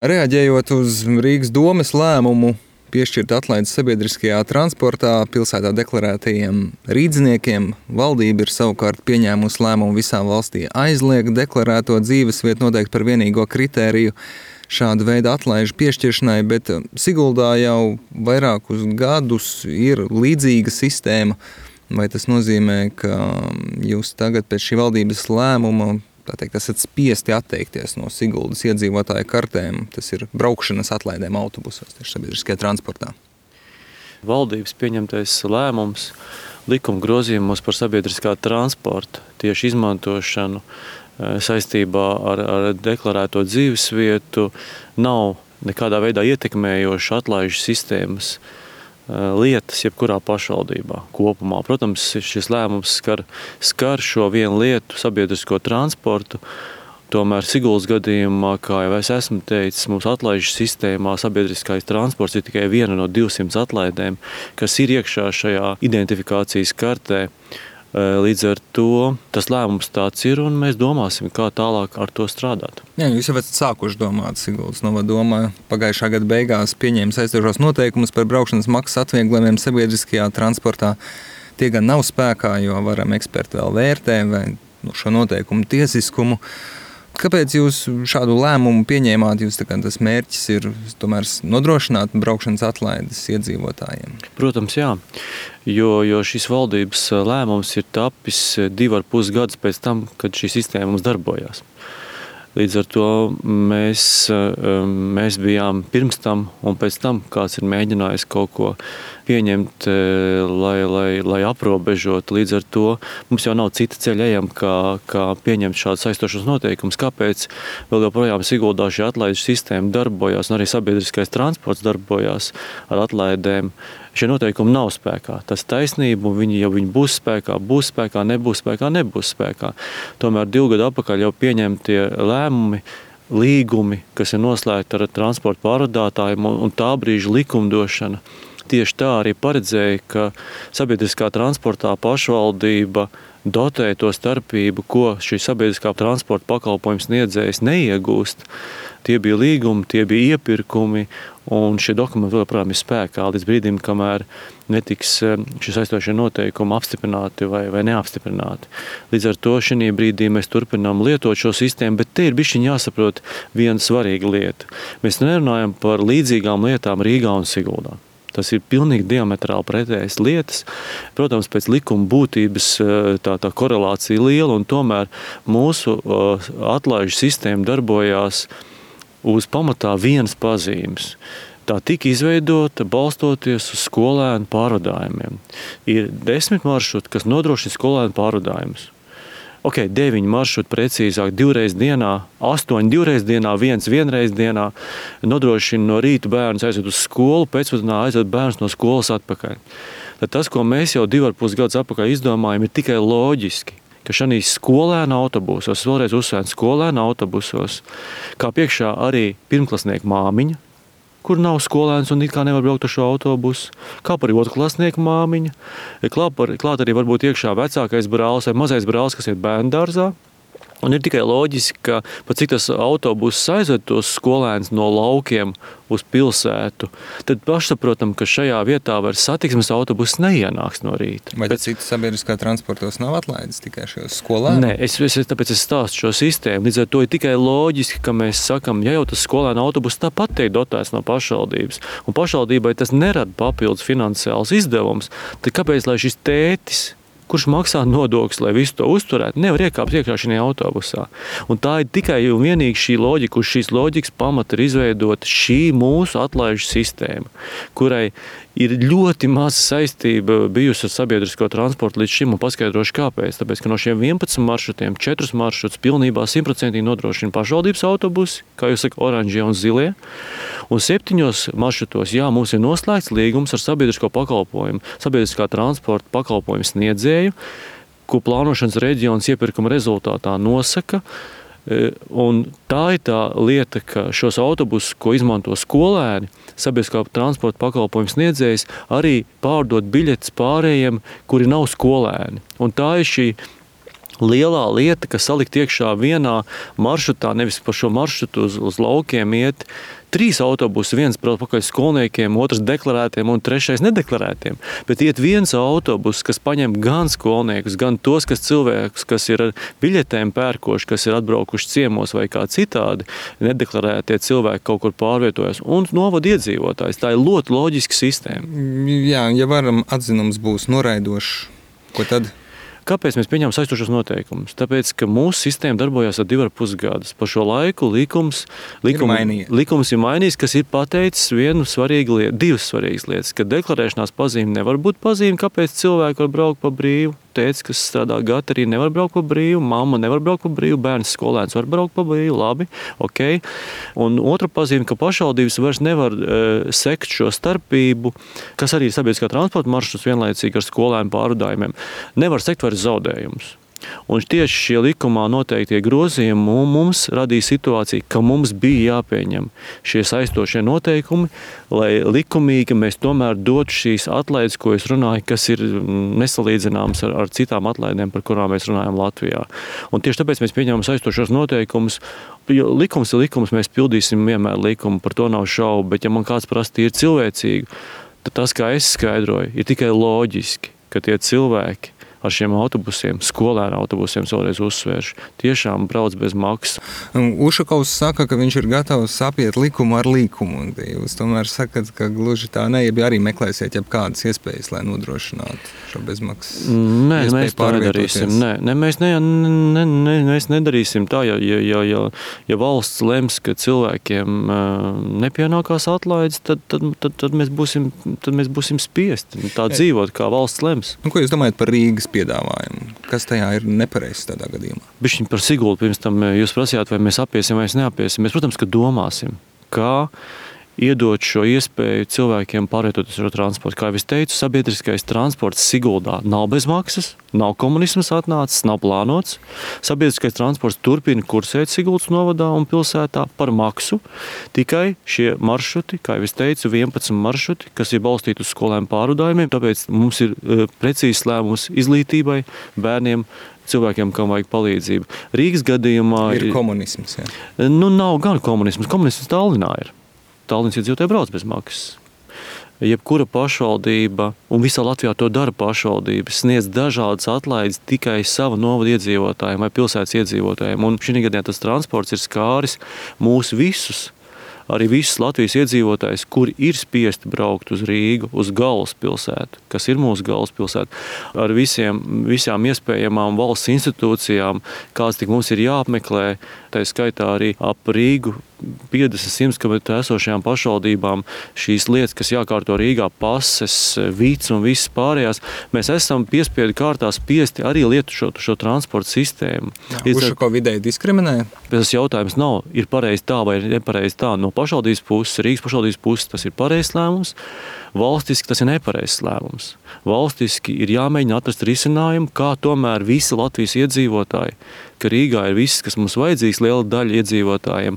Reaģējot uz Rīgas domes lēmumu piešķirt atlaides sabiedriskajā transportā pilsētā deklarētajiem rīdzniekiem, valdība ir savukārt pieņēmusi lēmumu visā valstī aizliegt deklarēto dzīvesvietu noteikti par vienīgo kritēriju šāda veida atlaižu piešķiršanai, bet Siguldā jau vairākus gadus ir līdzīga sistēma. Vai tas nozīmē, ka jūs tagad pēc šī valdības lēmuma esat spiesti atteikties no Siguldas iedzīvotāju kartēm? Tas ir braukšanas atlaidēm autobusos, tieši sabiedriskajā transportā. Valdības pieņemtais lēmums likuma grozījumos par sabiedriskā transporta tieši izmantošanu saistībā ar deklarēto dzīvesvietu nav nekādā veidā ietekmējoša atlaižu sistēmas lietas jebkurā pašvaldībā kopumā. Protams, šis lēmums skar šo vienu lietu, sabiedrisko transportu. Tomēr Siguldas gadījumā, kā jau es esmu teicis, mums atlaižu sistēmā sabiedriskais transports ir tikai viena no 200 atlaidēm, kas ir iekšā šajā identifikācijas kartē. Līdz ar to tas lēmums tāds ir, un mēs domāsim, kā tālāk ar to strādāt. Jā, jūs jau esat sākuši domāt. Siguldas novadoma pagājušā gada beigās pieņēma saistošos noteikumus par braukšanas maksas atvieglojumiem sabiedriskajā transportā. Tie gan nav spēkā, jo varam eksperti vēl vērtē vai šo noteikumu tiesiskumu. Kāpēc jūs šādu lēmumu pieņēmāt? Tas mērķis ir tomēr nodrošināt braukšanas atlaides iedzīvotājiem? Protams, jā. Jo šis valdības lēmums ir tapis 2,5 gadus pēc tam, kad šī sistēma mums darbojās. Līdz ar to mēs bijām pirms tam un pēc tam, kāds ir mēģinājis kaut ko pieņemt, lai aprobežot. Līdz ar to mums jau nav cita ceļa ejam, kā pieņemt šādus saistošus noteikumus. Kāpēc vēl joprojām Siguldā šī atlaides sistēma darbojās un arī sabiedriskais transports darbojās ar atlaidēm? Šie noteikumi nav spēkā. Tas taisnība, ja viņi būs spēkā, nebūs spēkā. Tomēr 2 gadu atpakaļ jau pieņemtie lēmumi, līgumi, kas ir noslēgti ar transporta pārvadātājiem un tā brīža likumdošana, tieši tā arī paredzēja, ka sabiedriskā transportā pašvaldība dotē to starpību, ko šī sabiedriskā transporta pakalpojums sniedzējs neiegūst. Tie bija līgumi, tie bija iepirkumi, un šie dokumenti vēl joprojām ir spēkā līdz brīdim, kamēr netiks šie saistošie noteikumi apstiprināti vai neapstiprināti. Līdz ar to šī brīdī mēs turpinām lietot šo sistēmu, bet te ir bišķiņ jāsaprot viena svarīga lieta. Mēs nerunājam par līdzīgām lietām Rīgā un Siguldā. Tas ir pilnīgi diametrāli pretējas lietas. Protams, pēc likuma būtības tā korelācija liela, un tomēr mūsu atlaižu sistēma darbojās uz pamatā vienas pazīmes. Tā tika izveidota balstoties uz skolēnu pārvadājumiem. Ir 10 maršruti, kas nodrošina skolēnu pārvadājumus. 9 maršruti precīzāk 2 reizes dienā, 8 2 reizes dienā, 1 reizi dienā nodrošina no rīta bērnus aizved uz skolu, pēcpusdienā aizved bērnus no skolas atpakaļ. Tad tas, ko mēs jau 2,5 gadus atpakaļ izdomājam, ir tikai loģiski, ka šādīs skolēnu autobusos, vēlreiz uzsvērt skolēnu autobusos, kā priekšā arī pirmklasnieku māmiņa, kur nav skolēns un it kā nevar braukt ar šo autobusu, kā arī otrklasnieku māmiņa, klāt arī varbūt iekšā vecākais brālis vai mazais brālis, kas iet bērndārzā. Un ir tikai loģiski, ka pat cik tas autobuss aizved tos skolēnus no laukiem uz pilsētu, tad pašsaprotam, ka šajā vietā vairs satiksmes autobuss neienāks no rīta. Vai citas sabiedriskā transportos nav atlaides tikai šajos skolēnus? Nē, tāpēc es stāstu šo sistēmu. Līdz ar to ir tikai loģiski, ka mēs sakam, ja jau tas skolēnu autobuss tāpat tiek dotēts no pašvaldības, un pašvaldībai tas nerada papildus finansiāls izdevums, tad kāpēc, lai šis tētis, kurš maksā nodokļus, lai visu to uzturētu, nevar iekāpt iekšā šajā autobusā. Un tā ir tikai un vienīgi šī loģika, uz šīs loģikas pamata ir izveidota šī mūsu atlaižu sistēma, kurai ir ļoti maza saistība bijusi ar sabiedrisko transportu līdz šim, un paskaidrošu kāpēc. Tāpēc, ka no šiem 11 maršrutiem 4 maršrutus pilnībā 100% nodrošina pašvaldības autobusi, kā jūs saka, oranžie un zilie, un 7 maršrutos, mums ir noslēgts līgums ar sabiedrisko pakalpojumu, sabiedriskā transporta pakalpojumu sniedzēju, ko plānošanas reģions iepirkuma rezultātā nosaka. Un tā ir tā lieta, ka šos autobusus, ko izmanto skolēni, sabiedriskā transporta pakalpojumu sniedzējs, arī pārdot biļetes pārējiem, kuri nav skolēni. Un tā ir šī lielā lieta, ka salikt iekšā vienā maršrutā, nevis pa šo maršrutu uz laukiem iet 3 autobusi, viens brauc pakaļ skolniekiem, otrs deklarētiem un 3 nedeklarētiem. Bet iet viens autobus, kas paņem gan skolniekus, gan tos, cilvēkus, kas ir ar biļetēm pērkoši, kas ir atbraukuši ciemos vai kā citādi, nedeklarētie cilvēki kaut kur pārvietojas un novada iedzīvotājs. Tā ir ļoti loģiska sistēma. Jā, ja varam atzinums būs noraidošs, ko tad? Kāpēc mēs pieņemam saistošos noteikumus? Tāpēc, ka mūsu sistēma darbojās ar 2,5 gadus. Pa šo laiku likums ir mainījis, kas ir pateicis divas svarīgas lietas, ka deklarēšanās pazīme nevar būt pazīme, kāpēc cilvēki var braukt pa brīvu. Tētis, kas strādā gatarī, nevar braukt pa brīvu, mamma nevar braukt pa brīvu, bērns skolēns var braukt pa brīvu, labi, ok. Un otra pazīme, ka pašvaldības vairs nevar sekt šo starpību, kas arī ir sabiedriskā transporta maršruts vienlaicīgi ar skolēnu pārvadājumiem, nevar sekt vairs zaudējumus. Un tieši šie likumā noteiktie grozījumi mums radīja situāciju, ka mums bija jāpieņem šie saistošie noteikumi, lai likumīgi mēs tomēr dotu šīs atlaides, ko es runāju, kas ir nesalīdzināmas ar citām atlaidēm, par kurām mēs runājam Latvijā. Un tieši tāpēc mēs pieņemam saistošos noteikumus, jo likums ir likums, mēs pildīsim vienmēr likumu, par to nav šaubu, bet ja man kāds prasa ir cilvēcīgi, tad tas, kā es skaidroju, ir tikai loģiski, ka tie cilvēki ar šiem autobusiem, skolēnu autobusiem, vēlreiz uzsvēršu, tiešām brauc bez maksas. Ušakovs saka, ka viņš ir gatavs apiet likumu ar likumu. Jūs tomēr sakat, ka gluži tā ne, ja arī meklēsiet kādas iespējas, lai nodrošinātu šo bezmaksas. Nē, mēs tā nedarīsim. Nē, mēs nedarīsim tā, ja valsts lems, ka cilvēkiem nepienākās atlaides, tad mēs būsim spiesti tā dzīvot, kā valsts lems. Ko jūs domājat par Rīgas piedāvājumu? Kas tajā ir nepareizs tādā gadījumā? Bišķiņ par Sigultu pirms tam jūs prasījāt, vai mēs apiesim vai neapiesim. Mēs, protams, ka domāsim, kā iedot šo iespēju cilvēkiem pārvietoties ar transportu. Kā jau es teicu, sabiedriskais transports Siguldā nav bez maksas, nav komunisms atnācis, nav plānots. Sabiedriskais transports turpina kursēt Sigultas novadā un pilsētā par maksu. Tikai šie maršruti, kā jau es teicu, 11 maršruti, kas ir balstīti uz skolēm pārvadājumiem, tāpēc mums ir precīzs lēmums izglītībai, bērniem, cilvēkiem, kam vajag palīdzību. Rīgas gadījumā ir komunisms, jā. Nav gan komunisms. Komunisms Tallinā ir. Tallinas iedzīvotāji brauc bez maksas. Jebkura pašvaldība, un visā Latvijā to dara pašvaldība, sniedz dažādas atlaides tikai sava novada iedzīvotājiem vai pilsētas iedzīvotājiem. Un šī gadījumā tas transports ir skāris mūs visus, arī visus Latvijas iedzīvotājus, kuri ir spiesti braukt uz Rīgu, uz galvaspilsētu, kas ir mūsu galvaspilsēta, ar visām iespējamām valsts institūcijām, kāds tik mums ir jāapmeklē, tā skaitā arī ap Rīgu 50-100 km esošajām pašvaldībām šīs lietas, kas jākārto Rīgā, pases, vīts un visas pārējās, mēs esam piespiedu kārtā spiesti arī lietot šo transporta sistēmu. Ušako vidēji diskriminē? Tas jautājums nav, ir pareizi tā vai nepareizi tā. No pašvaldības puses, Rīgas pašvaldības puses tas ir pareizs lēmums, valstiski tas ir nepareizs lēmums. Valstiski ir jāmēģina atrast risinājumu, kā tomēr visi Latvijas iedzīvotāji, ka Rīgā ir viss, kas mums vajadzīgs, liela daļa iedzīvotājiem,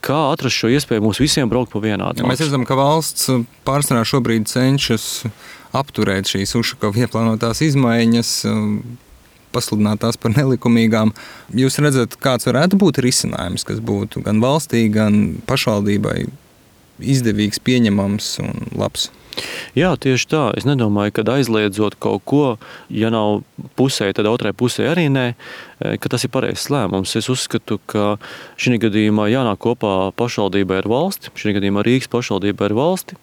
kā atrast šo iespēju mums visiem braukt pa vienādu. Mēs redzam, ka valsts pārsvarā šobrīd cenšas apturēt šīs Ušakova ieplānotās izmaiņas, pasludināt tās par nelikumīgām. Jūs redzat, kāds varētu būt risinājums, kas būtu gan valstī, gan pašvaldībai izdevīgs, pieņemams un labs? Jā, tieši tā. Es nedomāju, ka aizliedzot kaut ko, ja nav pusē, tad otrai pusē arī nē, ka tas ir pareizs lēmums. Es uzskatu, ka šī gadījumā jānāk kopā pašvaldībai ar valsti, šī gadījumā Rīgas pašvaldībai ar valsti,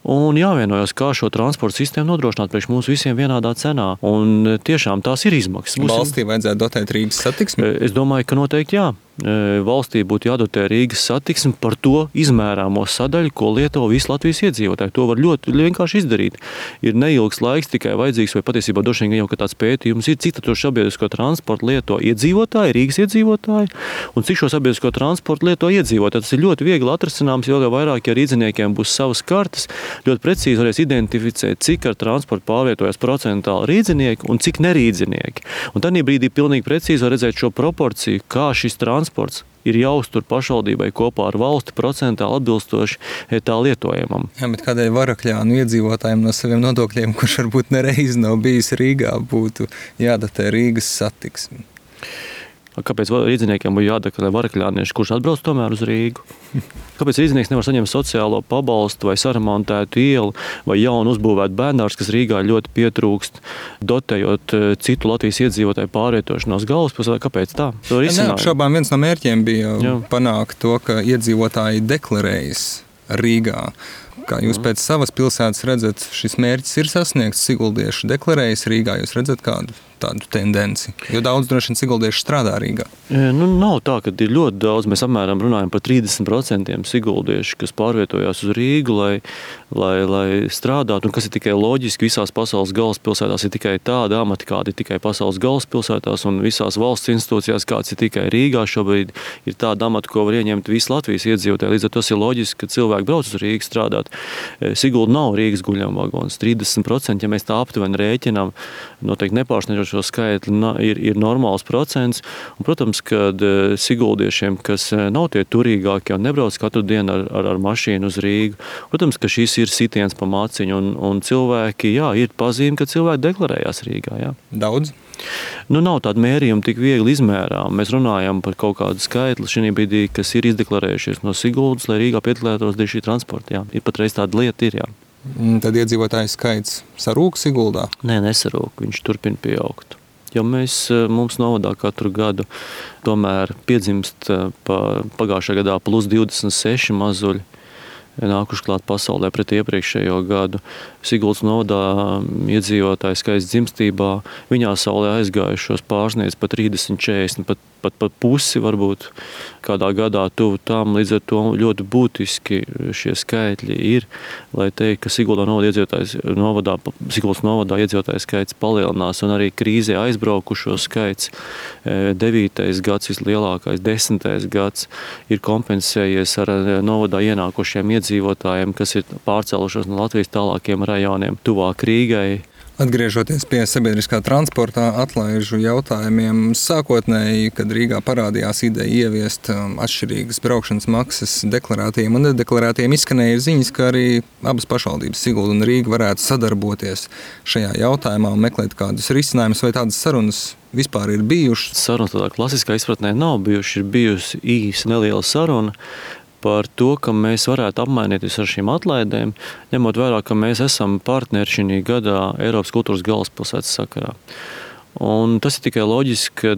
un jāvienojas, kā šo transporta sistēmu nodrošināt priekš mums visiem vienādā cenā. Un tiešām tās ir izmaksas. Valstī vajadzētu dotēt Rīgas satiksmi? Es domāju, ka noteikti jā. Valstī būtu jādotē Rīgas satiksmi par to izmērāmo sadaļu, ko lieto visi Latvijas iedzīvotāji. To var ļoti vienkārši izdarīt. Ir neilgs laiks tikai vajadzīgs, vai patiesībā droši vien jau tāds pētījums ir, cik to sabiedrisko transportu lieto iedzīvotāji, Rīgas iedzīvotāji, un cik šo sabiedrisko transportu lieto iedzīvotāji. Tas ir ļoti viegli atrasināms, jo vairāk, ja rīdziniekiem būs savas kartes, ļoti precīzi varēs identificēt, cik ar transportu pārvietojas procentāli rīdzinieki un cik nerīdzinieki. Un tādā brīdī pilnīgi precīzi var redzēt šo proporciju, kā šis transports ir jāuztur pašvaldībai kopā ar valsti procentāli atbilstoši tā lietojamam. Jā, bet kādēļ Varakļānu iedzīvotājiem no saviem nodokļiem, kurš varbūt nereiz nav bijis Rīgā, būtu jādatē Rīgas satiksmi? Kāpēc rīdziniekiem būtu jādeklarē varakļānieši, kurš atbrauc tomēr uz Rīgu? Kāpēc rīdzinieks nevar saņemt sociālo pabalstu vai saremontētu ielu vai jaunu uzbūvētu bērnārs, kas Rīgā ļoti pietrūkst, dotējot citu Latvijas iedzīvotāju pārvietošanos galvaspilsētā? Kāpēc tā? Neapšaubām viens no mērķiem bija panākt to, ka iedzīvotāji deklarējas Rīgā. Kā jūs pēc savas pilsētas redzat, šis mērķis ir sasniegts, siguldieši deklarējas Rīgā, jūs redzat kādu tādu tendenci? Jo daudz droši vien siguldieši strādā Rīgā. Nav tā, ka ir ļoti daudz. Mēs apmēram runājam par 30% siguldiešu, kas pārvietojās uz Rīgu, lai strādātu. Un kas ir tikai loģiski, visās pasaules galvaspilsētās ir tikai tāda amata, kāda ir tikai pasaules galvaspilsētās, un visās valsts institūcijās, kāds ir tikai Rīgā. Šobrīd ir tāda amata, ko var ieņemt visi Latvijas iedzīvotāji. Līdz ar to ir loģiski, ka cilvēki brauc uz Rīgu strādāt. Sigulda nav Rīgas guļamvagons. 30%, ja mēs tā aptuveni rēķinām, noteikti nepārsniedžot šo skaitli, ir normāls procents. Un, protams, kad siguldiešiem, kas nav tie turīgākie un nebrauc katru dienu ar mašīnu uz Rīgu, protams, ka šis ir sitiens pa maciņu, un cilvēki, ir pazīme, ka cilvēki deklarējās Rīgā. Jā. Daudz? Nav tāda mērījuma tik viegli izmērām. Mēs runājam par kaut kādu skaitli šī brīdī, kas ir izdeklarējušies no Siguldas, lai Rīgā piedalētos šī transporta. Jā. Ir patreiz tāda lieta ir, jā. Tad iedzīvotāju skaits sarūk Siguldā? Nē, nesarūk. Viņš turpina pieaugt. Jo mums novadā katru gadu tomēr piedzimst pagājušajā gadā plus 26 mazuļi nākuši klāt pasaulē pret iepriekšējo gadu. Siguldas novadā iedzīvotāju skaits dzimstībā viņā saulē aizgājušos pārsniedz pat 30, 40, pat pusi varbūt kādā gadā tuvu tam. Līdz ar to ļoti būtiski šie skaitļi ir, lai teikt, ka Siguldas novadā iedzīvotāju skaits palielinās, un arī krīzē aizbraukušo skaits 9. gads, vislielākais 10. gads, ir kompensējies ar novadā ienākušiem iedzīvotājiem, kas ir pārcēlušos no Latvijas tālākiem rajoniem tuvāk Rīgai. Atgriežoties pie sabiedriskā transportā atlaižu jautājumiem, sākotnēji, kad Rīgā parādījās ideja ieviest atšķirīgas braukšanas maksas deklarētiem un nedeklarētiem, izskanēja ziņas, ka arī abas pašvaldības, Sigulda un Rīga, varētu sadarboties šajā jautājumā un meklēt kādus risinājumus, vai tādas sarunas vispār ir bijušas? Sarunas tādā klasiskā izpratnē nav bijušas, ir bijusi īsa neliela saruna par to, ka mēs varētu apmainīties ar šīm atlaidēm, ņemot vērā, ka mēs esam partneri šī gadā Eiropas kultūras galvaspilsētas sakarā. Un tas ir tikai loģiski, ka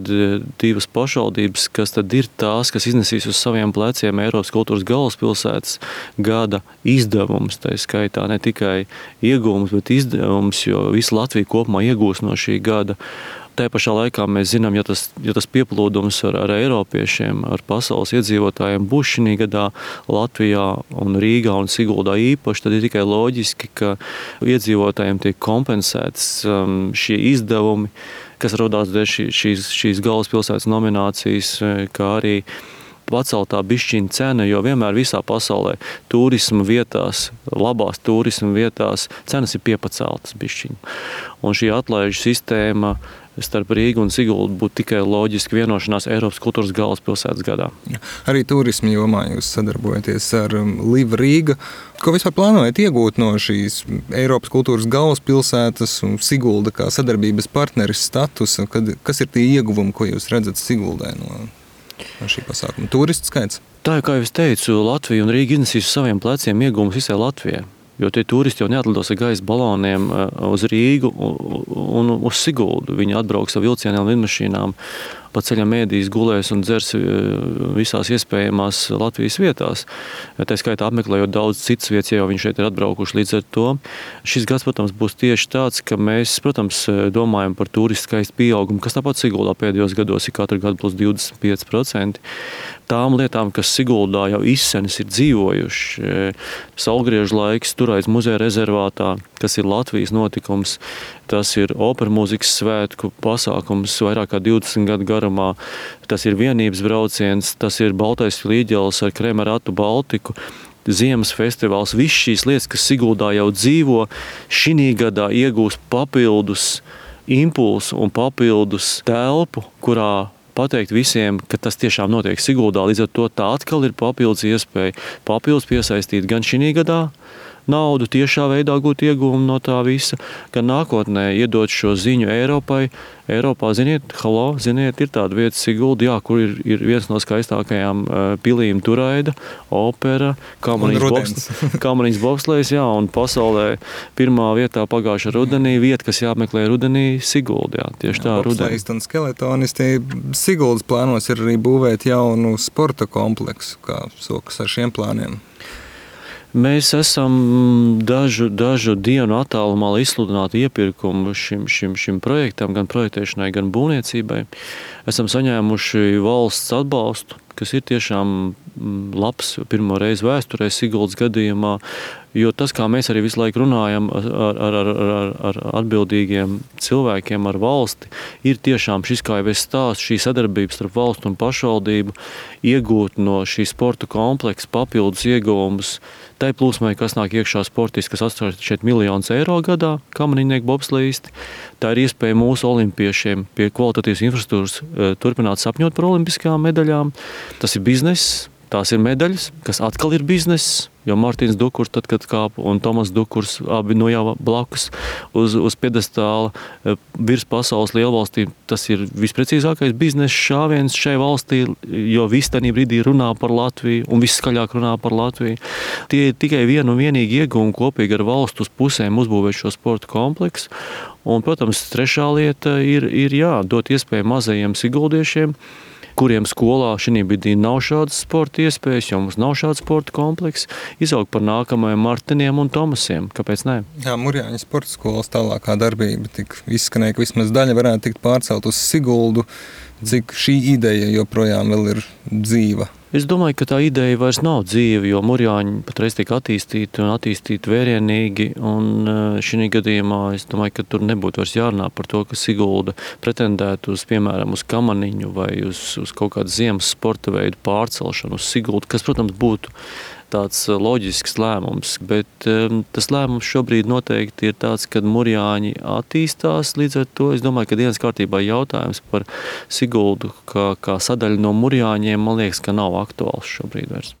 divas pašvaldības, kas tad ir tās, kas iznesīs uz saviem pleciem Eiropas kultūras galvaspilsētas gada izdevums, tā skaitā ne tikai iegūmus, bet izdevums, jo visa Latvija kopumā iegūs no šī gada. Tā pašā laikā mēs zinām, ja tas pieplūdums ar eiropiešiem, ar pasaules iedzīvotājiem būs šī gadā Latvijā un Rīgā un Siguldā īpaši, tad ir tikai loģiski, ka iedzīvotājiem tiek kompensēts šie izdevumi, kas rodās dēļ šīs galvaspilsētas nominācijas, kā arī paceltā bišķiņa cena, jo vienmēr visā pasaulē turisma vietās, labās turisma vietās cenas ir piepaceltas bišķiņa. Un šī atlaižu sistēma starp Rīgu un Siguldu būtu tikai loģiski vienošanās Eiropas kultūras galvaspilsētas gadā. Arī turisma jomā jūs sadarbojaties ar Live Riga. Ko vispār plānojat iegūt no šīs Eiropas kultūras galvaspilsētas un Sigulda kā sadarbības partneris statusa? Kas ir tie ieguvumi, ko jūs redzat Siguldē no šī pasākuma? Turistu skaits? Tā, kā jau es teicu, Latvija un Rīga iznesīs uz saviem pleciem ieguvumus visai Latvijai. Jo tie turisti jau neatlidos ar gaisa baloniem uz Rīgu un uz Siguldu. Viņi atbrauks ar vilcieniem un lidmašīnām, pa ceļam ēdīs, gulēs un dzers visās iespējamās Latvijas vietās. Tā skaitā apmeklējot daudz citas vietas, jau viņi šeit ir atbraukuši. Līdz ar to šis gads, protams, būs tieši tāds, ka mēs, protams, domājam par turistu skaistu pieaugumu, kas tāpat Siguldā pēdējos gados ir katru gadu plus 25%. Tām lietām, kas Siguldā jau izsenis ir dzīvojuši, Saulgriežu laiks tur aiz muzeja rezervātā, kas ir Latvijas notikums, tas ir opera mūzikas svētku pasākums vairāk kā 20 gadu garumā, tas ir vienības brauciens, tas ir Baltais līģelis ar Kremeratu Baltiku, Ziemas festivāls, viss šīs lietas, kas Siguldā jau dzīvo, šī gadā iegūs papildus impulsu un papildus telpu, kurā pateikt visiem, ka tas tiešām notiek Siguldā. Līdz ar to tā atkal ir papildus iespēja papildus piesaistīt gan šī gadā naudu, tiešā veidā gūt ieguvumu no tā visa, gan nākotnē iedot šo ziņu Eiropai. Eiropā, ziniet, ir tāda vieta Sigulda, jā, kur ir viens no skaistākajām pilīm Turaida, opera, Kamaniņas bobslejs, jā, un pasaulē pirmā vietā pagājušā rudenī vieta, kas jāmeklē rudenī, Sigulda, jā, tieši tā rudenī. Bobslejisti un skeletonisti Siguldas plānos ir arī būvēt jaunu sporta kompleksu, kā sokas ar šiem plāniem. Mēs esam dažu dienu attālumā, lai izsludinātu iepirkumu šim projektam, gan projektēšanai, gan būvniecībai. Esam saņēmuši valsts atbalstu, kas ir tiešām labs pirmo reizi vēsturē Siguldas gadījumā, jo tas, kā mēs arī visu laiku runājam ar atbildīgiem cilvēkiem, ar valsti, ir tiešām šis, kā jau es stāstu, šī sadarbība starp valstu un pašvaldību, iegūt no šī sporta kompleksa papildus ieguvumus tai plūsmai, kas nāk iekšā sportisti, kas atstāj šeit miljonus eiro gadā, kamaniņnieku bobslejisti. Tā ir iespēja mūsu olimpiešiem pie kvalitatīvas infrastruktūras turpināt sapņot par olimpiskajām medaļām. Tas ir bizness. Tās ir medaļas, kas atkal ir bizness, jo Mārtiņš Dukurs, tad, kad kāp, un Tomas Dukurs, abi no jau blakus uz piedestāla virs pasaules lielvalstīm, tas ir visprecīzākais biznesa šāviens šai valstī, jo viss tajā brīdī runā par Latviju un viss skaļāk runā par Latviju. Tie ir tikai vienu un vienīgi ieguvumi kopīgi ar valstu uz pusēm uzbūvēt šo sporta kompleksu. Un, protams, trešā lieta ir dot iespēju mazajiem siguldiešiem, kuriem skolā šī brīdī nav šādas sporta iespējas, jo mums nav šāda sporta kompleksa, izaugt par nākamajiem Martiniem un Tomasiem. Kāpēc ne? Jā, Murjāņu sporta skolas tālākā darbība tik izskanēja, ka vismaz daļa varētu tikt pārcelt uz Siguldu. Cik šī ideja joprojām vēl ir dzīva? Es domāju, ka tā ideja vairs nav dzīva, jo Murjāņi patreiz tiek attīstīti vērienīgi, un šī gadījumā es domāju, ka tur nebūtu vairs jārunā par to, ka Sigulda pretendētu uz, piemēram, uz Kamaniņu vai uz kaut kādu ziemas sporta veidu pārcelšanu uz Siguldu, kas, protams, būtu tāds loģisks lēmums, bet tas lēmums šobrīd noteikti ir tāds, kad Murjāņi attīstās, līdz ar to es domāju, ka dienas kārtībā jautājums par Siguldu kā sadaļu no Murjāņiem, man liekas, ka nav aktuāls šobrīd vairs.